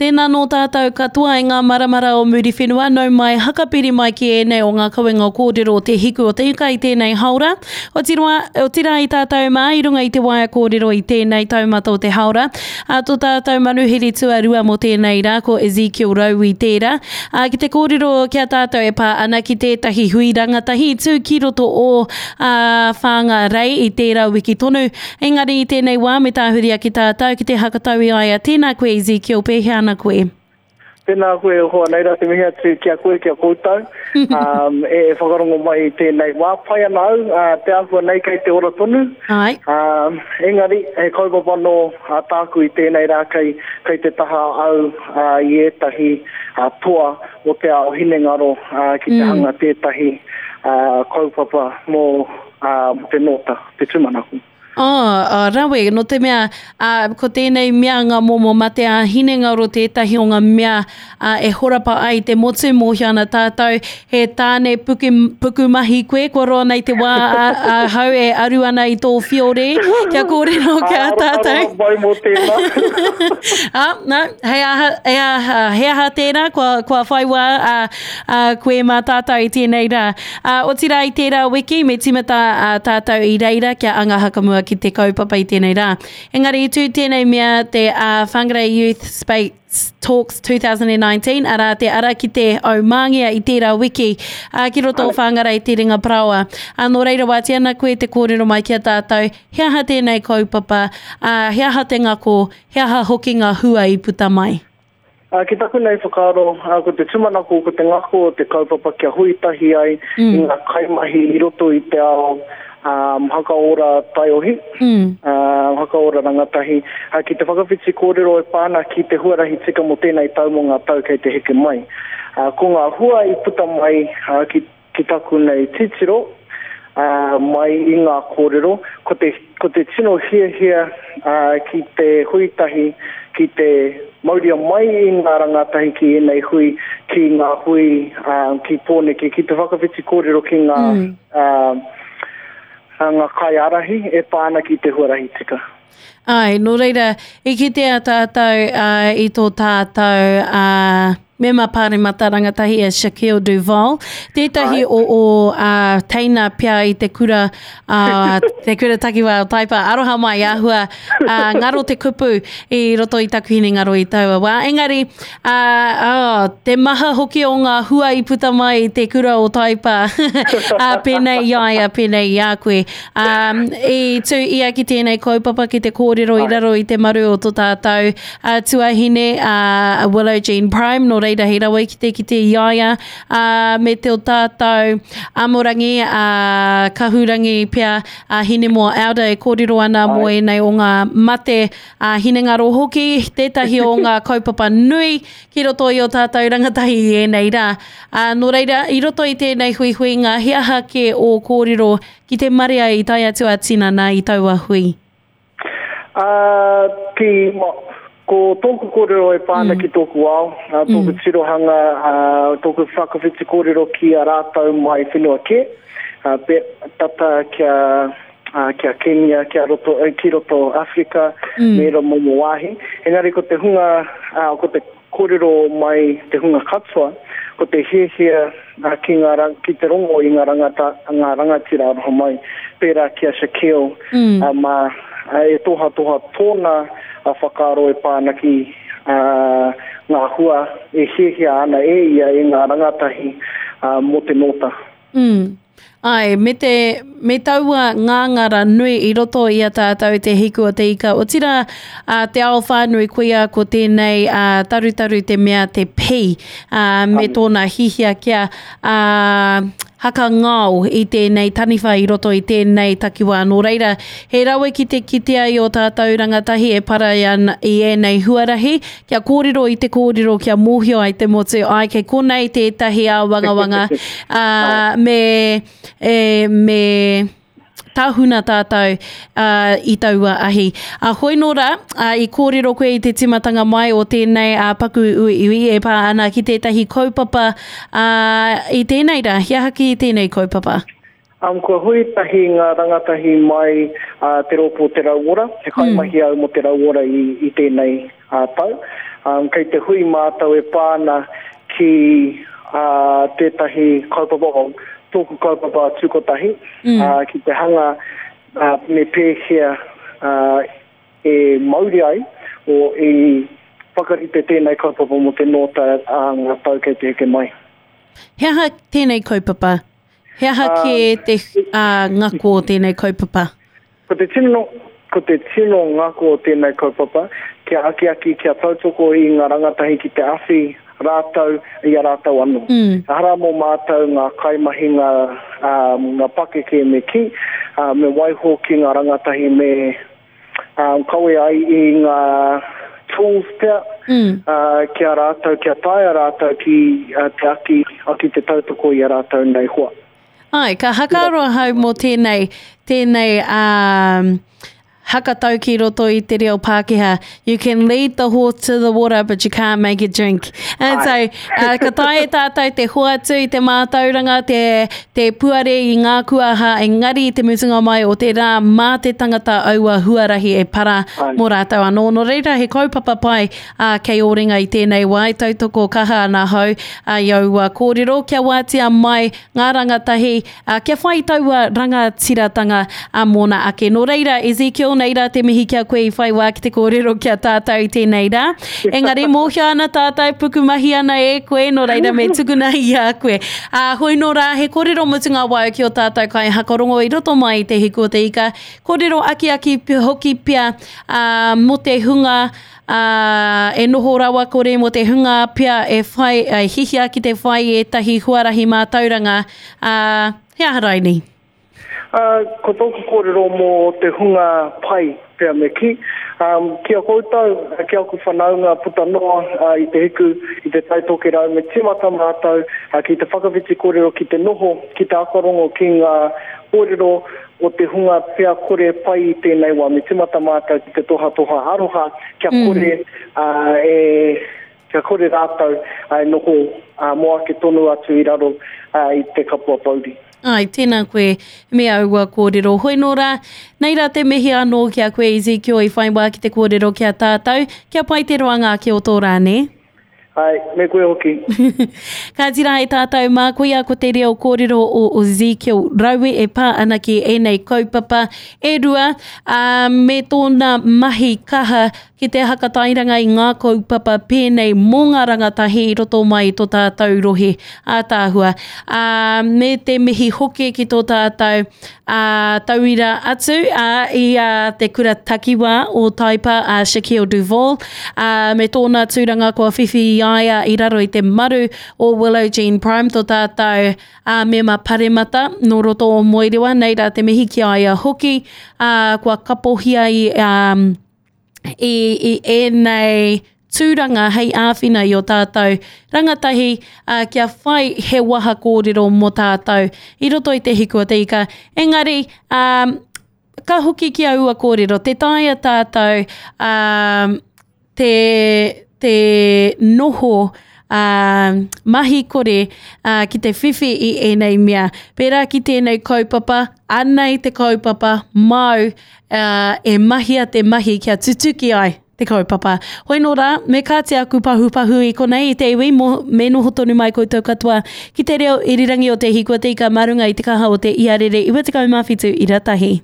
Tēnā nō tātou katoa e ngā maramara o Muriwhenua, nau mai, hakapiri mai ki ēnei o ngā kawenga kōrero o Te Hiku o Te Ika i tēnei haora. Otirā, otirā i tātou mā i runga i te waea kōrero i tēnei taumata o te haora. Ā, tō tātou manuhiri tuarua mō tēnei rā ko Ezekiel Raui tērā. Ā, ki te kōrero ki a tātou e pā ana ki tētahi hui rangatahi i tū ki roto o, ā, Whāngārei i tērā wiki tonu. Engari i tēnei wā me tāhuri ake tātou ki te hakatau i a ia. Tēnā koe Ezekiel, pēhea ana koe? Tēnā koe e hoa, nei rā te mihi atu ki a koe, ki a koutou, um, e, e whakarongo mai i tēnei wā. Pai ana au, uh, te āhua nei kei te ora tonu. Ai. Um, engari, he kaupapa nō uh, tāku i tēnei rā kei, kei te taha au uh, i ētahi uh, toa o te ao hinengaro uh, ki te mm. hanga tētahi uh, kaupapa mō uh, te nōta. te tūmanako. Oh, oh, rawe, no te mea, uh, ko tēnei mea ngā momo mate a hinengaro tētahi o ngā mea uh, e horapa ai te motu, mōhio ana tātou, he tāne puku, puku mahi koe, kua roa nei te wā a, a hau e aru ana i tō whiore, kia kōrero ki a tātou. Aroha mai mō tēnā. ah, no, hei aha, he aha, he aha tērā, kua, kua whai wā uh, uh, koe mā tātou i tēnei rā. Ā, otirā i tērā wiki, me tīmata ā tātou i reira kia anga hakamua ki te kaupapa i tēnei rā. Engari i tū tēnei mea te ā Whangarei Youth Space Talks 2019, arā te ara ki te aumāngia i tērā wiki, ā, ki roto o Whangarei Te Ringa Paraoa. Ā, nō reira wātea ana koe te kōrero mai ki a tātou, he aha tēnei kaupapa, ā, he aha te ngako, he aha hoki ngā hua i puta mai? Ā, ki taku nei whakaaro, ā, ko te tūmanako, ko te ngako o te kaupapa kia hui tahi ai mm. i ngā kaimahi i roto i te ao um, hakaora taiohi, mm. uh, hakaora rangatahi, uh, ki te whakawhiti kōrero e pā ana ki te huarahi tika mō tēnei tau mō ngā tau kei te heke mai. Uh, ko ngā hua i puta mai uh, ki Ki taku nei titiro, ā, mai i ngā kōrero, ko te, ko te tino hiahia, ā, ki te hui tahi, ki te mauria mai i ngā rangatahi ki ēnei hui, ki ngā hui, ā, ki Pōneke, ki te whakawhiti kōrero ki ngā, ā, ngā kaiārahi e pā ana ki te huarahi tika. Āe, nō reira, i kitea tātou i tō tātou mema pāremata rangatahi a Shaquille Duval, tētahi o ō teina pea i te kura, te kura takiwā o Taipa, aroha mai, āhua ngaro te kupu i roto i taku hinengaro i taua wā. Engari, oh, te maha hoki o ngā hua i puta mai i te kura o Taipa, pēnei i a ia, pēnei i a koe. Um, i tū ia ki tēnei kaupapa ki te kōrero i raro i te maru o tō tātou uh, tuahine, uh, Willow Jean Prime, nō reira he rawe ki te kite i a ia, uh, me te o tātou amorangi, uh, kahurangi pea, uh, Hinemoa Elder e kōrero ana mō ēnei o ngā mate uh, hinengaro hoki, tētahi o ngā kaupapa nui ki roto i o tātou rangatahi i ēnei rā. Ā, nō reira, i roto i tēnei huihuinga, he aha kē ō kōrero ki te marea i tae atu a tinana i taua hui? Ā, ki, ko tōku kōrero e pā ana mm. ki tōku ao, ā, tōku mm. tirohanga, ā, tōku whakawhiti kōrero ki a rātou mai whenua kē, ā, pe, tata kia, ā, kia Kenya, kia roto, ki roto Afrika, mm. me ērā momo wāhi. Engari ko te hunga, ā, ko te kōrero mai te hunga katoa, ko te hiahia ki, ngā, ki te rongo i ngā, rangata, ngā rangatira aroha mai, pērā ki a Shaquille, mm. uh, mā, e tohatoha tōna whakaaro e pā ana ki uh, ngā hua e hiahia ana e ia e ngā rangatahi uh, mō te nōta. Mm. Āe, me te, me taua ngāngara nui i roto i a tātou te hiku o te ika, otirā, ā, te ao whānui koia ko tēnei, ā, tarutaru te mea te pī, ā, me tōna hihia kia, ā, hakangao i tēnei taniwha i roto i tēnei takiwā. Nō reira, he rawe ki te kitea i ō tātou rangatahi e para ana i ēnei huarahi, Kia kōrero i te kōrero kia mōhio ai te motu, ai kei konei tētahi āwangawanga, ā, me, e, me tahuna tātou ā, i taua ahi. Ā, hoi nō rā, ā, i kōrero koe i te tīmatanga mai o tēnei ā, paku uiui e pā ana ki tētahi kaupapa ā, i tēnei rā. He aha ki tēnei kaupapa? Um, kua hui tahi ngā rangatahi mai uh, te rōpū Te Rauora, he kaimahi mm. au mō Te Rauora i, i tēnei uh, tau. Kei te hui mātou e pā ana ki tētahi kaupapa, tōku kaupapa tūkotahi, ki te hanga me pēhea e mauri ai, o i whakarite tēnei kaupapa mō te nōta ā ngā tau kei te heke mai. He aha tēnei kaupapa? He aha kē te ngako o tēnei kaupapa? Ko te tino, ko te tino ngako o tēnei kaupapa, kia akiaki, kia tautoko i ngā rangatahi ki te awhi rātou i a rātou anō. Mm. Ehara mō mātou ngā kaimahi, ngā, um, ngā pakeke me kī, uh, me waiho ki ngā rangatahi me um, kawe ai i ngā tools pea mm. uh, ki a rātou, kia taea rātou ki uh, te aki, aki te tautoko i a rātou nei hoa. Ai, ka hakaaro ahau mō tēnei, tēnei um, hakatau ki roto i te reo Pākehā. You can lead the horse to the water, but you can't make it drink. And so, uh, ka taea e tātou te hoatu i te mātauranga, te, te puare i ngā kuaha, engari i te mutunga mai o te rā, mā te tangata aua huarahi e para Ai. mō rātou anō. Nō reira, he kaupapa pai uh, kei ō ringa i tēnei wā, e tautoko kaha ana ahau uh, i aua kōrero, kia wātea mai ngā rangatahi, ā, kia whai taua rangatiratanga ā mōna ake. Nō reira, Ezekiel, nei rā te mihi ki a koe i whai wā ki te kōrero ki a tātou i tēnei rā. Engari, mōhio ana tātou, pukumahi ana e koe, nō reira me tukuna i a koe. Ā, hoi nō rā, he kōrero mutunga wau ki ō tātou kaihakarongo i roto mai i Te Hiku o te Ika, kōrero akiaki hoki pea, ā, mō te hunga, ā, e noho rawakore mō te hunga pea e whai, e hihia ki te whai i ētahi huarahi mātauranga, ā, he aha raini? Ā, ko tōku kōrero mō te hunga pai pea me kī, ā, ki a koutou, ki aku whanaunga puta noa i te hiku, i te Tai Tokerau, me tīmata mātou ki te whakawhiti kōrero, ki te noho, ki te akarongo ki ngā kōrero o te hunga pea kore pai i tēnei wā, me tīmata mātou ki te tohatoha aroha kia kore e, kia kore rātou e noho mō ake tonu atu i raro i te kapua pouri. Āe, tēnā koe me aua kōrero. Hoi nō rā, nei rā te mihi anō ki a koe Ezekiel i whai wā ki te kōrero ki a tātou, kia pai te roanga ake o tō rā, nē? Āe, me koe hoki. Kāti rā e tātou mā, koia ko te reo kōrero o Ezekiel Raue e pā ana ki ēnei kaupapa e rua, ā, me tōna mahi kaha ki te hakatairanga i ngā kaupapa pēnei mō ngā rangatahi i roto mai i tō tātou rohe ātaahua. Ā, me te mihi hoki ki tō tātou ā, tauira atu ā, i a te kura takiwā o Taipa a Shaquille Duval, ā, me tōna tūranga kua whiwhi i a ia i raro i te maru o Willow Jean Prime, tō tātou ā, mema paremata nō roto o Moerewa, nei rā te mihi ki a ia hoki, ā, kua kapohia i, ā, i, i ēnei tūranga hei āwhina i o tātou rangatahi uh, kia whai he waha kōrero mō tātou i roto i te hiku o te ika. Engari, um, ka hoki ki aua kōrero, te taea tātou um, te, te noho uh, mahi kore uh, ki te whiwhi i ēnei mea. Pērā ki tēnei kaupapa, anei te kaupapa māu uh, e mahia te mahi kia tutuki ai te kaupapa. Hoi nō rā, me kāti aku pahupahu i konei i te iwi, mo, me noho tonu mai koutou katoa ki te reo irirangi o Te Hiko Te Ika mā runga i te kaha o te iarere 97 ira tahi.